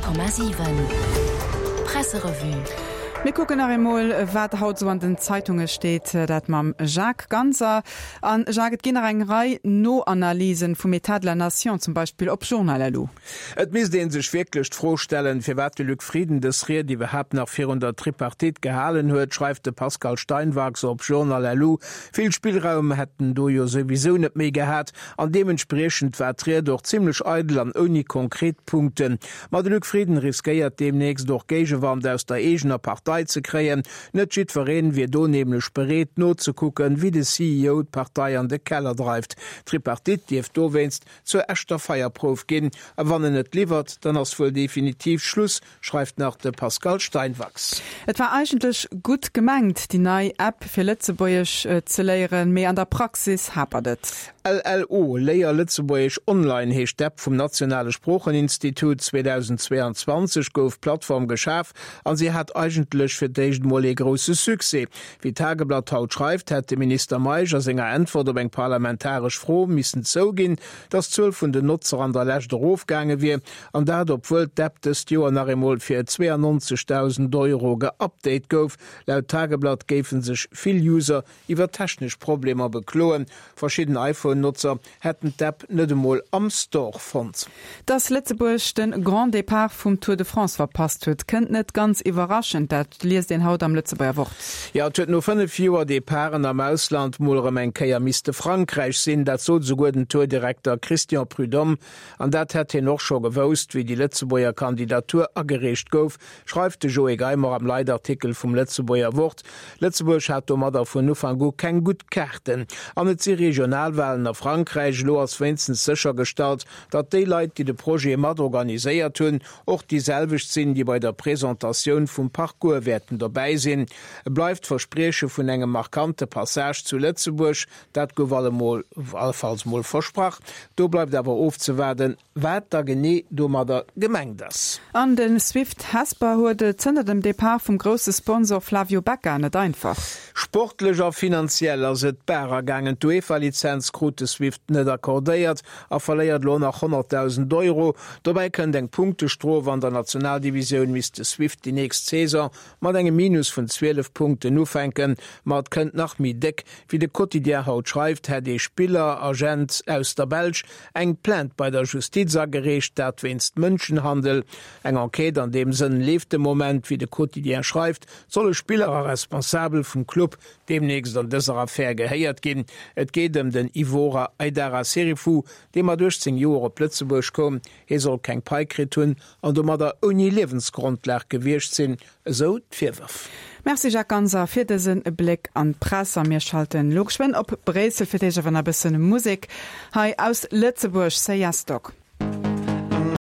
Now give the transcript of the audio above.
100,7 Presserevue. Mir kucken nach eemol, wat haut esou an den Zeitunge steet, dat mam Jacques Ganser. An Jacques, et ginn nach eng Rei Noanalysen vum Etat de la Nation, zum Beispill op Journal.lu. Et misst ee sech wierklech d'Fro stellen, firwat de Luc Frieden dës Ried iwwerhaapt nach virun der Tripartite gehalen huet, schreift de Pascal Steinwachs op Journal.lu. Vill Spillraum hätt en do jo souwisou net méi gehat an deementspriechend war d'Ried och zimmlech eidel an ouni konkret Punkten. Ma de Luc Frieden riskéiert deemnächst och Géigewand aus der eegener Partei ze kréien. Net jiddwereen wier do nämlech bereet nozekucken, wéi de CEO d'Partei an de Keller dreift. D'Tripartite dierft dowéinst zur echter Feierprouf ginn. A wann en net liwwert, dann ass wuel definitiv Schluss, schreift nach de Pascal Steinwachs. Et war eigentlech gutt gemengt, déi nei App fir Lëtzebuergesch ze léieren, mee an der Praxis hapert et. LLO, Léier Lëtzebuergesch Online heescht d'App vum nationale Sproocheninstitut. 2022 gouf d'Plattform geschaf an si hat eigentlech fir d'éischt mol ee grousse Succès. Wéi d'Tageblatt haut schreift, hätt de Minister Meisch a senger Äntwert op eng parlamentaresch Fro missen zouginn, datt d'Zuel vun den Notzer an der Lescht erofgaange wier, an dat obwuel d'App dëst Joer nach eemol fir 92.000 Euro geupdate gouf. Laut Tageblatt géife sech vill User iwwer technesch Problemer bekloen. Verschidden iPhone-Notzer hätten d'App net emol am Store fonnt. Dass Lëtzebuerg de Grand Départ vum Tour de France verpasst huet, kënnt net ganz iwwerraschend. Dat liest een haut am Lëtzebuerger Wort. Jo, et huet no 5 Joer Departen am Ausland mol erëm eng Kéier misste Frankräich sinn. Dat sot esouguer den Tour-Direkter Christian Prudhomme. An dat hätt hien och scho gewousst, wéi déi Lëtzebuerger Kandidatur agereecht gouf, schreift de Joé Geimer am Leitartikel vum Lëtzebuerger Wort. Lëtzebuerg hat domadder vun Ufank u keng gutt Kaarten. An et si Regionalwalen a Frankräich. Elo ass wéinstens séchergestallt, datt déi Leit, déi de Projet mat organiséiert hunn, och déi selwecht sinn, déi bei der Presentatioun vum Parcours wäerten dobäi sinn. Et bleift d'Versprieche vun engem markante Passage zu Lëtzebuerg. Dat gouf allemol, allefalls mol versprach. Do bleift awer ofzewaarden, wat da genee domadder gemengt ass. An de Swift Hesper huet et zënter dem Depart vum grousse Sponsor Flavio Becca net einfach. Sportlech a finanziell ass et bar ergaangen. D'UEFA-Lizenz krut de Swift net accordéiert a verléiert elo nach 100.000 Euro. Dobäi kënnt eng Punktestrof. An der Nationaldivisioun misst de Swift déi nächst Saison mat engem Minus vun 12 Punkten ufänken. Ma et kënnt nach méi déck. Wéi de Quotidien haut schreift, hätt ee Spiller-Agent aus der Belsch eng Plainte bei der Justiz agereecht, dat wéinst Mënschenhandel. Eng Enquête an deem Sënn leeft de Moment. Wéi de Quotidien schreift, solle Spiller a Responsabel vum Club deemnächst an dëser Affär gehéiert ginn. Et geet ëm den Ivora Aidara Serifou, dee mat 18 Joer op Lëtzebuerg koum. Hie soll keng Pai kritt hunn an domadder ouni Liewensgrondlag gewiescht sinn, esou d'Virwërf. Merci Jacques Ganser fir dëse Bléck an d'Press. A mir schalten elo geschwënn op Bréissel, fir d'éischt awer nach e bëssen Musek hei aus Lëtzebuerg, Say Yes Dog.